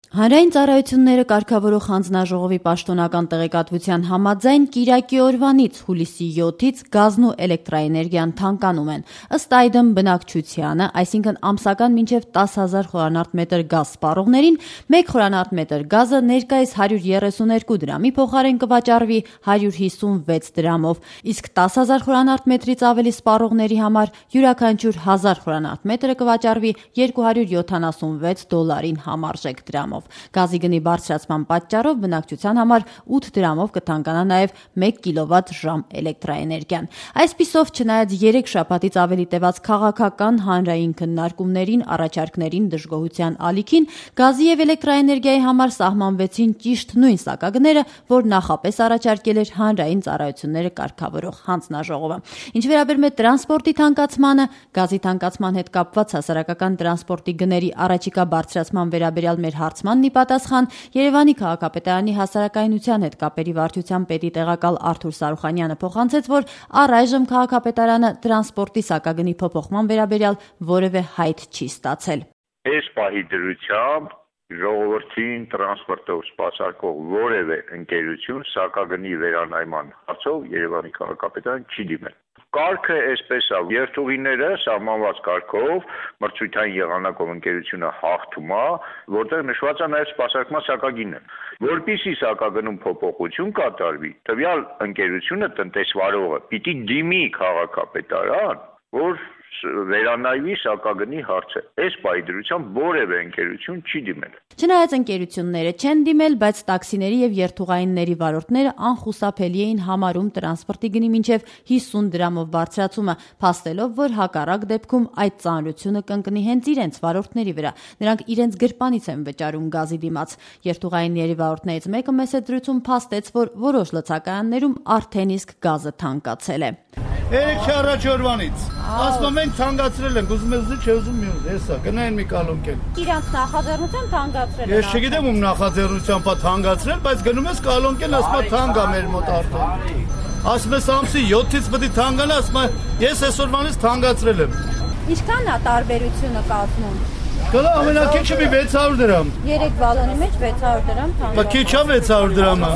Հանրային ծառայությունները կարգավորող հանձնաժողովի պաշտոնական տեղեկատվության համաձայն կիրակի օրվանից հուլիսի 7-ից գազն ու էլեկտրաէներգիան թանկանում են։ Ըստ այդմ բնակչությանը, այսինքն ամսական մինչև 10,000 խորանարդ մետր գազ սպառողներին, 1 խորանարդ մետր գազը ներկայիս 132 դրամի փոխարեն կվաճառվի 156 դրամով, իսկ 10,000 խորանարդ մետրից ավելի սպառողների համար յուրաքանչյուր 1000 խորանարդ մետրը կվաճառվի $276 համարժեք դրամով։ Գազի գնի բարձրացման պատճառով բնակչության համար 8 դրամով կթանկանա նաև 1 կիլովատ-ժամ էլեկտրաէներգիան։ Այսպիսով, չնայած 3 շաբաթից ավելի տևած քաղաքական հանրային քննարկումներին, առաջարկներին, դժգոհության ալիքին, գազի եւ էլեկտրաէներգիայի համար սահմանվեցին ճիշտ նույն սակագները, որ նախապես առաջարկել էր հանրային ծառայությունները կարգավորող հանձնաժողովը։ Ինչ վերաբերում է տրանսպորտի թանկացմանը, գազի թանկացման հետ կապված հասարակական տրանսպորտի գների առաջիկա բարձրացման վերաբերյալ մեր հարցման ի պատասխան Երևանի քաղաքապետարանի հասարակայնության հետ կապերի վարչության պետի տեղակալ Արթուր Սարուխանյանը փոխանցեց, որ առայժմ քաղաքապետարանը տրանսպորտի սակագնի փոփոխման վերաբերյալ որևէ հայտ չի ստացել։ Այս պահի դրությամբ ժողովրդին տրանսպորտով սպասարկող որևէ ընկերություն սակագնի վերանայման հարցով Երևանի քաղաքապետարան չի դիմել։ Կարգը այսպես է, երթուղիները սահմանված կարգով մրցույթային եղանակով ընկերությունը հաղթում է, որտեղ նշված է նաև սպասարկման սակագինը։ Որպեսզի սակագնում փոփոխություն կատարվի, տվյալ ընկերությունը տնտեսվարողը պիտի դիմի քաղաքապետարան, որ վերանայվի սակագնի հարցը։ Այս պահի դրությամբ որևէ ընկերություն չի դիմել։ Չնայած ընկերությունները չեն դիմել, բայց տաքսիների եւ երթուղայինների վարորդները անխուսափելի էին համարում տրանսպորտի գնի մինչև 50 դրամով բարձրացումը, փաստելով, որ հակառակ դեպքում այդ ծանրությունը կընկնի հենց իրենց վարորդների վրա։ Նրանք իրենց գրպանից են վճարում գազի դիմաց։ Երթուղայինների վարորդներից մեկը մեծ զրույցում փաստեց, որ որոշ լցակայաններում արդեն իսկ գազը թանկացել է։ Երեք առաջ օրվանից։ Ասում ենք թանկացրել ենք, ուզում ես դու, չէ ուզում մի ուզ, հեսա, գնային մի կալոնկել։ Իրանց նախաձեռնությամբ թանկացրել են։ Ես չգիտեմ ում նախաձեռնությամբ է թանկացրել, բայց գնում ես կալոնկել, ասում է թանկ է մեր մոտ արդեն։ Ասում ես ամսի 7-ից պետք է թանկանա, ասում է ես այսօրվանից թանկացրել եմ։ Ինչքան է տարբերությունը կազմում։ Գալա ամենակիչը մի 600 դրամ։ 3 բալոնի մեջ 600 դրամ թանկ։ Բա քիչ է 600 դրամը։